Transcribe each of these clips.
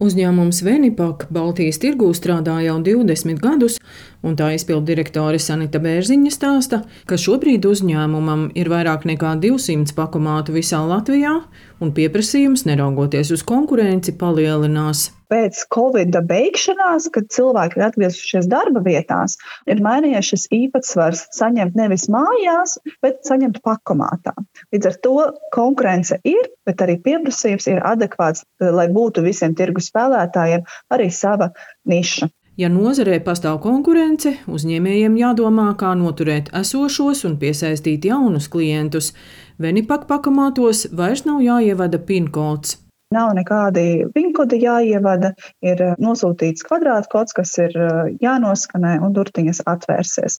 Uzņēmums Venipak Baltijas tirgū strādā jau 20 gadus, un tā izpilddirektore Sanita Bērziņa stāsta, ka šobrīd uzņēmumam ir vairāk nekā 200 pakomātu visā Latvijā, un pieprasījums, neraugoties uz konkurenci, palielinās. Pēc Covida beigšanās, kad cilvēki ir atgriezušies darba vietās, ir mainījies šis īpatsvars saņemt nevis mājās, bet saņemt pakomātā. Līdz ar to konkurence ir, bet arī pieprasījums ir adekvāts, lai būtu visiem tirgus spēlētājiem arī sava niša. Ja nozarē pastāv konkurence, uzņēmējiem jādomā, kā noturēt esošos un piesaistīt jaunus klientus. Venipak pakomātos vairs nav jāievada PIN kods. Nav nekādi pinkodi jāievada, ir nosūtīts kvadrātkods, kas ir jānoskanē un durtiņas atvērsies.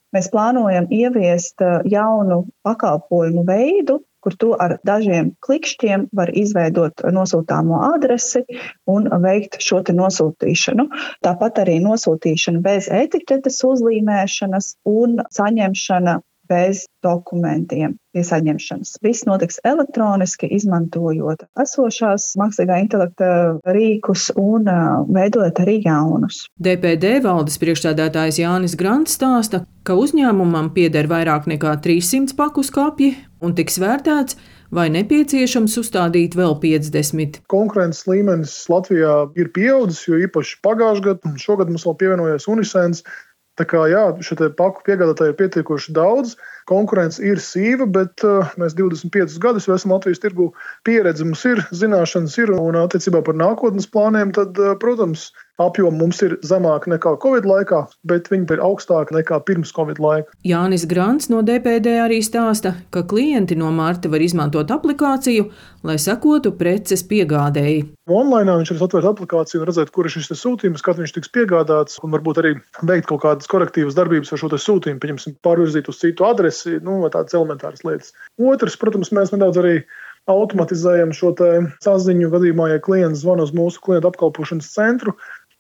Mēs plānojam ieviest jaunu pakalpojumu veidu, kur tu ar dažiem klikšķiem var izveidot nosūtāmo adresi un veikt šo te nosūtīšanu. Tāpat arī nosūtīšana bez etiķetes uzlīmēšanas un saņemšana bez dokumentiem pie saņemšanas. Viss notiks elektroniski, izmantojot esošās mākslīgā intelekta rīkus un veidojot arī jaunus. DPD valdes priekšsēdētājs Jānis Grants stāsta, ka uzņēmumam pieder vairāk nekā 300 paku skapji un tiks vērtēts, vai nepieciešams uzstādīt vēl 50. Konkurences līmenis Latvijā ir pieaudzis, jo īpaši pagājušajā gadā un šogad mums vēl pievienojies Unisens. Tā kā šo paku piegādātāju ir pietiekoši daudz, konkurence ir sīva, bet mēs 25 gadus esam Latvijas tirgu, pieredze mums ir, zināšanas ir, un attiecībā par nākotnes plāniem, tad, protams, apjomi mums ir zemāki nekā Covid laikā, bet viņi ir augstāki nekā pirms Covid laika. Jānis Grants no DPD arī stāsta, ka klienti no marta var izmantot aplikāciju, lai sekotu preces piegādēji. Online viņš var atvērt aplikāciju un redzēt, kur ir šis sūtījums, kad viņš tiks piegādāts, un varbūt arī veikt kaut kādas korektīvas darbības ar šo sūtījumu, pieņemsim, pārvirzīt uz citu adresi, vai tādas elementāras lietas. Otrs, protams, mēs nedaudz arī automatizējam šo saziņu gadījumā, ja klients zvana uz mūsu klientu apkalpošanas centru.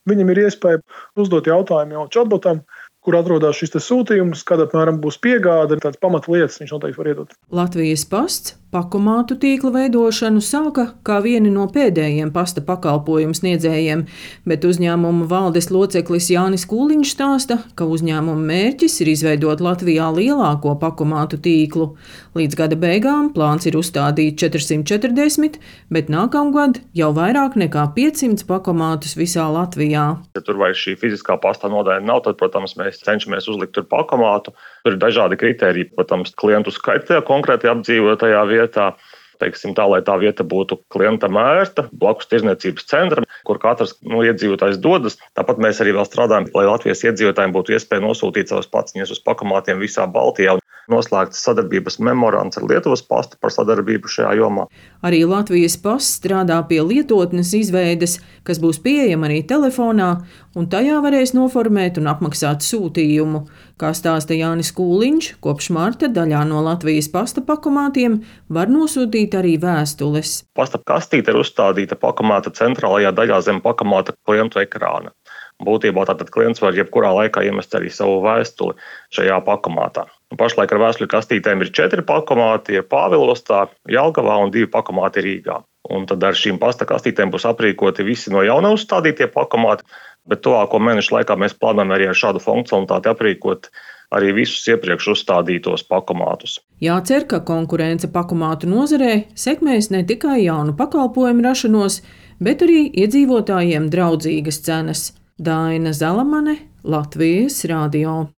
Viņam ir iespēja uzdot jautājumu jau chatbotam, kur atrodas šis sūtījums, kad apmēram būs piegāde, tādas pamatlietas viņš noteikti var iedot. Latvijas pasts pakomātu tīkla veidošanu sāka kā vieni no pēdējiem pasta pakalpojumu sniedzējiem, bet uzņēmuma valdes loceklis Jānis Kūliņš stāsta, ka uzņēmuma mērķis ir izveidot Latvijā lielāko pakomātu tīklu. Līdz gada beigām plāns ir uzstādīt 440, bet nākamgad jau vairāk nekā 500 pakomātus visā Latvijā. Ja tur vairs šī fiziskā pasta nodaļa nav, tad, protams, mēs cenšamies uzlikt tur pakomātu. Tur ir dažādi kriteriji, protams, klientu skaita konkrēti apdzīvotajā vietā. Teiksim tā, lai tā vieta būtu klientam ērta, blakus tirdzniecības centram, kur katrs iedzīvotājs dodas. Tāpat mēs arī vēl strādājam, lai Latvijas iedzīvotājiem būtu iespēja nosūtīt savas paciņas uz pakomātiem visā Baltijā. Noslēgts sadarbības memorands ar Lietuvas pastu par sadarbību šajā jomā. Arī Latvijas pasts strādā pie lietotnes izveides, kas būs pieejama arī telefonā, un tajā varēs noformēt un apmaksāt sūtījumu. Kā stāsta Jānis Kūliņš, kopš marta daļā no Latvijas pasta pakomātiem var nosūtīt arī vēstules. Pasta kastīte ir uzstādīta pakomāta centrālajā daļā zem pakomāta klientu ekrāna. Būtībā tātad klients var jebkurā laikā iemest arī savu vēstuli šajā pakomātā. Pašlaik ar vēstuļu kastītēm ir 4 pakomāti, ir Pāvilostā, Jelgavā un 2 pakomāti Rīgā. Un tad ar šīm pasta kastītēm būs aprīkoti visi no jauna uzstādītie pakomāti, bet tuvāko mēnešu laikā mēs plānojam arī ar šādu funkcionalitāti aprīkot arī visus iepriekš uzstādītos pakomātus. Jācer, ka konkurence pakomātu nozarē sekmēs ne tikai jaunu pakalpojumu rašanos, bet arī iedzīvotājiem draudzīgas cenas. Daina Zalamane, Latvijas radio.